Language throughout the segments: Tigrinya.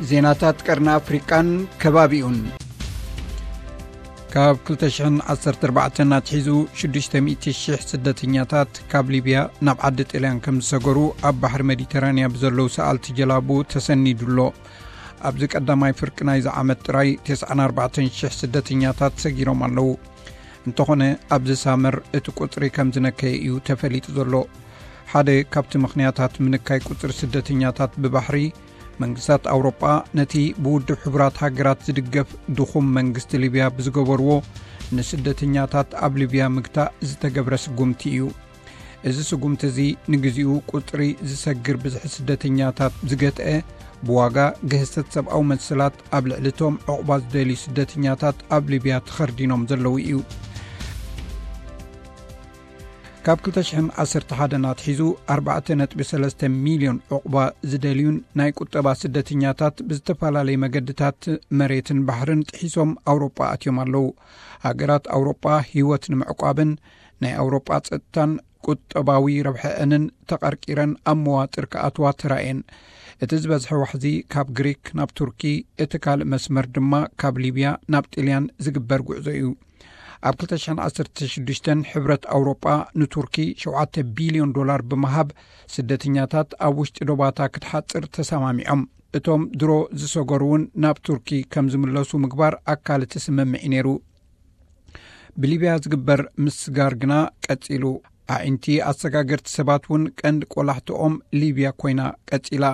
ዜናታት ቀርኒ ኣፍሪቃን ከባቢኡን። ካብ ክልተ ሽሕን ዓሰርተ ኣርባዕተን ኣትሒዙ ሽዱሽተ ሚእቲ ሽሕ ስደተኛታት ካብ ሊብያ ናብ ዓዲ ጥልያን ከም ዝሰገሩ ኣብ ባሕሪ ሜዲተራንያ ብዘለዉ ሰኣልቲ ጀላቡ ተሰኒዱ ኣሎ። ኣብዚ ቀዳማይ ፍርቂ ናይዚ ዓመት ጥራይ ተስዓን ኣርባዕተን ሽሕ ስደተኛታት ሰጊሮም ኣለዉ። እንተኾነ ኣብዚ ሳመር እቲ ቁጽሪ ከም ዝነከየ እዩ ተፈሊጡ ዘሎ። ሓደ ካብቲ ምኽንያታት ምንካይ ቁጽሪ ስደተኛታት ብባሕሪ፣ መንግስታት ኣውሮጳ ነቲ ብውድብ ሕቡራት ሃገራት ዝድገፍ ድኹም መንግስቲ ሊብያ ብዝገበርዎ ንስደተኛታት ኣብ ሊብያ ምግታእ ዝተገብረ ስጉምቲ እዩ። እዚ ስጉምቲ እዚ ንግዚኡ ቁጽሪ ዝሰግር ብዝሒ ስደተኛታት ዝገትአ፣ ብዋጋ ግህሰት ሰብኣዊ መሰላት ኣብ ልዕሊ እቶም ዕቑባ ዝደልዩ ስደተኛታት ኣብ ሊብያ ተኸርዲኖም ዘለዉ እዩ። ካብ ክልተ ሽሕን ዓሰርተ ሓደን ኣትሒዙ ኣርባዕተ ነጥቢ ሰለስተ ሚልዮን ዕቑባ ዝደልዩን ናይ ቁጠባ ስደተኛታት ብዝተፈላለየ መገድታት መሬትን ባሕርን ጥሒሶም ኣውሮጳ ኣትዮም ኣለዉ። ሃገራት ኣውሮጳ ህይወት ንምዕቋብን ናይ ኣውሮጳ ጸጥታን ቁጠባዊ ረብሐአንን ተቐርቂረን ኣብ መዋጥር ክኣትዋ ተራእየን። እቲ ዝበዝሐ ዋሕዚ ካብ ግሪክ ናብ ቱርኪ፣ እቲ ካልእ መስመር ድማ ካብ ሊብያ ናብ ጥልያን ዝግበር ጉዕዞ እዩ። ኣብ ክልተ ሽሕን ዓሰርተ ሽዱሽተን ሕብረት ኣውሮጳ ንቱርኪ ሸውዓተ ቢልዮን ዶላር ብምሃብ ስደተኛታት ኣብ ውሽጢ ዶባታ ክትሓጽር ተሰማሚዖም። እቶም ድሮ ዝሰገሩ እውን ናብ ቱርኪ ከም ዝምለሱ ምግባር ኣካል እቲ ስምምዕ እዩ ነይሩ። ብሊብያ ዝግበር ምስጋር ግና ቀጺሉ። ኣዒንቲ ኣሰጋገርቲ ሰባት እውን ቀንዲ ቆላሕትኦም ሊብያ ኮይና ቀጺላ።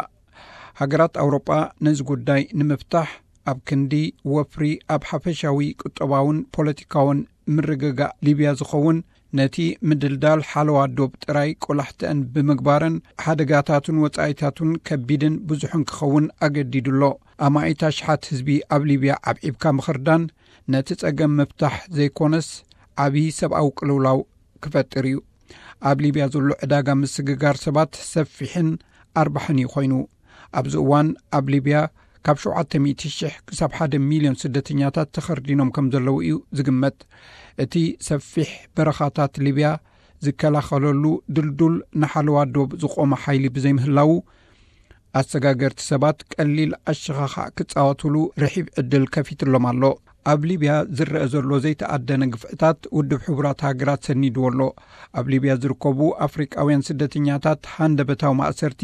ሃገራት ኣውሮጳ ነዚ ጉዳይ ንምፍታሕ ኣብ ክንዲ ወፍሪ ኣብ ሓፈሻዊ ቁጠባውን ፖለቲካውን ምርግጋእ ሊብያ ዝኸውን ነቲ ምድልዳል ሓለዋ ዶብ ጥራይ ቆላሕትአን ብምግባረን ሓደጋታቱን ወጻኢታቱን ከቢድን ብዙሕን ክኸውን ኣገዲዱ ኣሎ። ኣማኢት ኣሽሓት ህዝቢ ኣብ ሊብያ ዓብዒብካ ምኽርዳን ነቲ ጸገም ምፍታሕ ዘይኮነስ ዓቢ ሰብኣዊ ቅልውላው ክፈጥር እዩ። ኣብ ሊብያ ዘሎ ዕዳጋ ምስግጋር ሰባት ሰፊሕን ኣርባሕን እዩ ኮይኑ። ኣብዚ እዋን ኣብ ሊብያ ካብ ሸውዓተ ሚእቲ ሽሕ ክሳብ ሓደ ሚልዮን ስደተኛታት ተኸርዲኖም ከም ዘለዉ እዩ ዝግመት። እቲ ሰፊሕ በረኻታት ሊብያ ዝከላኸለሉ ድልዱል ንሓለዋ ዶብ ዝቖመ ሓይሊ ብዘይምህላዉ፣ ኣሰጋገርቲ ሰባት ቀሊል ኣሸኻኻዕ ክጻወቱሉ ርሒብ ዕድል ከፊትሎም ኣሎ። ኣብ ሊብያ ዝረአ ዘሎ ዘይተኣደነ ግፍዕታት ውድብ ሕቡራት ሃገራት ሰኒድዎ ኣሎ። ኣብ ሊብያ ዝርከቡ ኣፍሪቃውያን ስደተኛታት ሃንደበታዊ ማእሰርቲ፣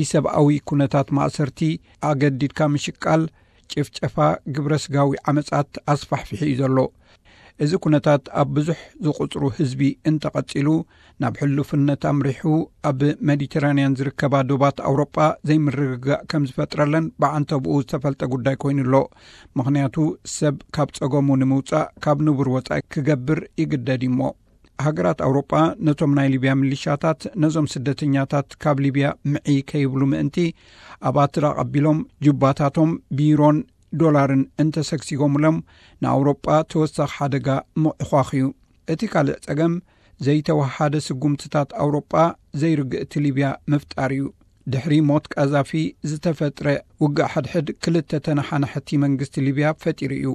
ኢሰብኣዊ ኩነታት ማእሰርቲ፣ ኣገዲድካ ምሽቃል፣ ጭፍጨፋ፣ ግብረ ስጋዊ ዓመጻት ኣስፋሕፊሑ እዩ ዘሎ። እዚ ኩነታት ኣብ ብዙሕ ዝቑጽሩ ህዝቢ እንተቐጺሉ፣ ናብ ሕሉፍነት ኣምሪሑ ኣብ ሜዲተራንያን ዝርከባ ዶባት ኣውሮጳ ዘይምርግጋእ ከም ዝፈጥረለን ብዓንተብኡ ዝተፈልጠ ጉዳይ ኮይኑ ኣሎ። ምኽንያቱ ሰብ ካብ ጸገሙ ንምውጻእ ካብ ንቡር ወጻኢ ክገብር ይግደድ እዩ እሞ። ሃገራት ኣውሮጳ ነቶም ናይ ሊብያ ሚሊሻታት ነዞም ስደተኛታት ካብ ሊብያ ምዒ ከይብሉ ምእንቲ ኣብ ኣትራቕ ኣቢሎም ጁባታቶም ቢሮን ዶላርን እንተሰግሲጎምሎም ንኣውሮጳ ተወሳኺ ሓደጋ ምዕኳኽ እዩ። እቲ ካልእ ጸገም ዘይተወሃደ ስጉምትታት ኣውሮጳ ዘይርግእቲ ሊብያ ምፍጣር እዩ። ድሕሪ ሞት ቃዛፊ ዝተፈጥረ ውግእ ሓድሕድ ክልተ ተነሓናሕቲ መንግስቲ ሊብያ ፈጢሩ እዩ።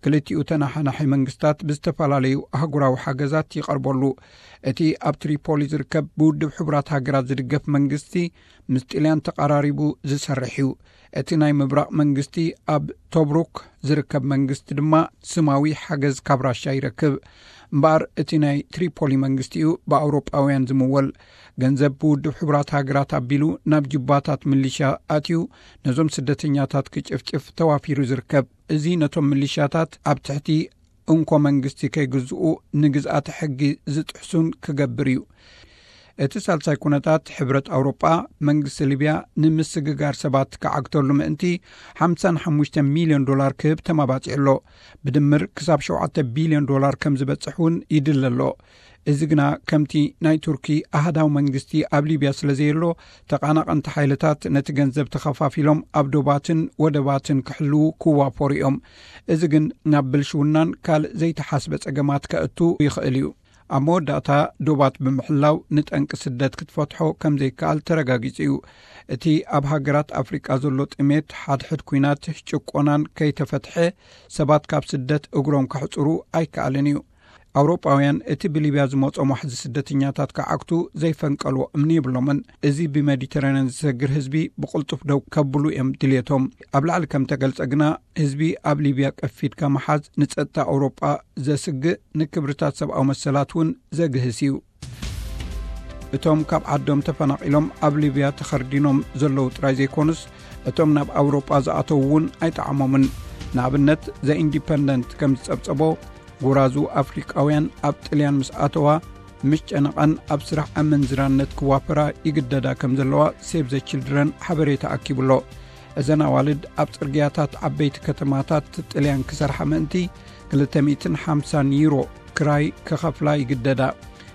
ክልቲኡ ተነሓናሒ መንግስታት ብዝተፈላለዩ ኣህጉራዊ ሓገዛት ይቐርበሉ። እቲ ኣብ ትሪፖሊ ዝርከብ ብውድብ ሕቡራት ሃገራት ዝድገፍ መንግስቲ ምስ ጥልያን ተቐራሪቡ ዝሰርሕ እዩ። እቲ ናይ ምብራቕ መንግስቲ ኣብ ቶብሩክ ዝርከብ መንግስቲ ድማ ስማዊ ሓገዝ ካብ ራሻ ይረክብ። እምበኣር እቲ ናይ ትሪፖሊ መንግስቲ እዩ ብኣውሮጳውያን ዝምወል። ገንዘብ ብውድብ ሕቡራት ሃገራት ኣቢሉ ናብ ጅባታት ሚሊሻ ኣትዩ ነዞም ስደተኛታት ክጭፍጭፍ ተዋፊሩ ዝርከብ። እዚ ነቶም ሚሊሻታት ኣብ ትሕቲ እንኮ መንግስቲ ከይግዝኡ ንግዝኣተ ሕጊ ዝጥሕሱን ክገብር እዩ። እቲ ሳልሳይ ኩነታት ሕብረት ኣውሮጳ መንግስቲ ሊብያ ንምስግጋር ሰባት ክዓግተሉ ምእንቲ ሓምሳን ሓሙሽተ ሚልዮን ዶላር ክህብ ተማባጺዑ ኣሎ። ብድምር ክሳብ ሸውዓተ ቢልዮን ዶላር ከም ዝበጽሕ እውን ይድለ ኣሎ። እዚ ግና ከምቲ ናይ ቱርኪ ኣሃዳዊ መንግስቲ ኣብ ሊብያ ስለ ዘየሎ ተቓናቐንቲ ሓይልታት ነቲ ገንዘብ ተኸፋፊሎም ኣብ ዶባትን ወደባትን ክሕልዉ ክዋፈሩ እዮም። እዚ ግን ናብ ብልሽውናን ካልእ ዘይተሓስበ ጸገማት ከእቱ ይኽእል እዩ። ኣብ መወዳእታ ዶባት ብምሕላው ንጠንቂ ስደት ክትፈትሖ ከም ዘይከኣል ተረጋጊጹ እዩ። እቲ ኣብ ሃገራት ኣፍሪቃ ዘሎ ጥሜት ሓድሕድ ኲናት ጭቆናን ከይተፈትሐ ሰባት ካብ ስደት እግሮም ከሕጽሩ ኣይከኣልን እዩ። ኣውሮጳውያን እቲ ብሊብያ ዝመጾም ዋሕዚ ስደተኛታት ክዓግቱ ዘይፈንቀልዎ እምኒ የብሎምን። እዚ ብሜዲተራንያን ዝሰግር ህዝቢ ብቕልጡፍ ደው ከብሉ እዮም ድልየቶም። ኣብ ላዕሊ ከም ተገልጸ ግና፣ ህዝቢ ኣብ ሊብያ ቀፊድካ ምሓዝ ንጸጥታ ኣውሮጳ ዘስግእ፣ ንክብርታት ሰብኣዊ መሰላት እውን ዘግህስ እዩ። እቶም ካብ ዓዶም ተፈናቒሎም ኣብ ሊብያ ተኸርዲኖም ዘለዉ ጥራይ ዘይኮኑስ፣ እቶም ናብ ኣውሮጳ ዝኣተዉ እውን ኣይጠዓሞምን። ንኣብነት፣ ዘ ኢንዲፐንደንት ከም ዝጸብጸቦ፣ ጎራዙ ኣፍሪቃውያን ኣብ ጥልያን ምስ ኣተዋ፣ ምስ ጨነቐን ኣብ ስራሕ ኣመንዝራነት ክዋፈራ ይግደዳ ከም ዘለዋ ሴቭ ዘ ችልድረን ሓበሬታ ኣኪቡሎ። እዘን ኣዋልድ ኣብ ጽርግያታት ዓበይቲ ከተማታት ጥልያን ክሰርሓ ምእንቲ፣ ክልተ ሚእትን ሓምሳን ዩሮ ክራይ ክኸፍላ ይግደዳ።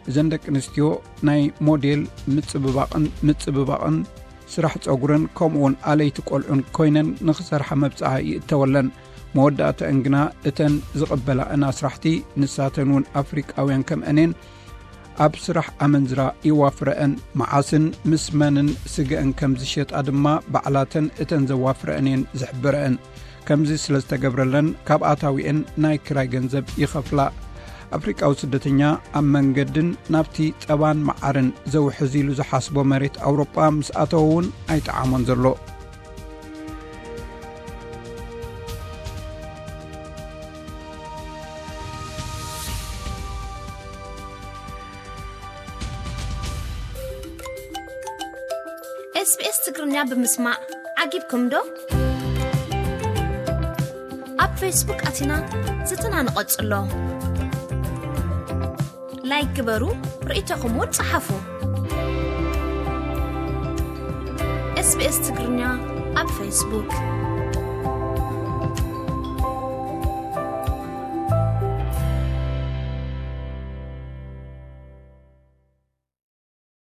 እዘን ደቂ ኣንስትዮ ናይ ሞዴል ምጽብባቕን ምጽብባቕን ስራሕ ጸጉርን ከምኡውን ኣለይቲ ቆልዑን ኮይነን ንኽሰርሓ መብጽዓ ይእተወለን። መወዳእተአን ግና እተን ዝቕበላእን ኣስራሕቲ፣ ንሳተን እውን ኣፍሪቃውያን ከምአኔን፣ ኣብ ስራሕ ኣመንዝራ ይዋፍረአን። መዓስን ምስ መንን ስገአን ከም ዝሸጣ ድማ ባዕላተን እተን ዘዋፍረአን እየን ዝሕብረአን። ከምዚ ስለ ዝተገብረለን፣ ካብ ኣታዊአን ናይ ክራይ ገንዘብ ይኸፍላ። ኣፍሪቃዊ ስደተኛ ኣብ መንገድን ናብቲ ጸባን መዓርን ዘውሕዝ ኢሉ ዝሓስቦ መሬት ኣውሮጳ ምስ ኣተወ እውን ኣይጠዓሞን ዘሎ። SBS ትግርኛ ብምስማዕ ዓጊብኩም ዶ? ኣብ ፌስቡክ ኣቲና ዝትና ንቐጽሎ። ላይክ ግበሩ፣ ርእይቶኹም እውን ጸሓፉ። SBS ትግርኛ ኣብ ፌስቡክ።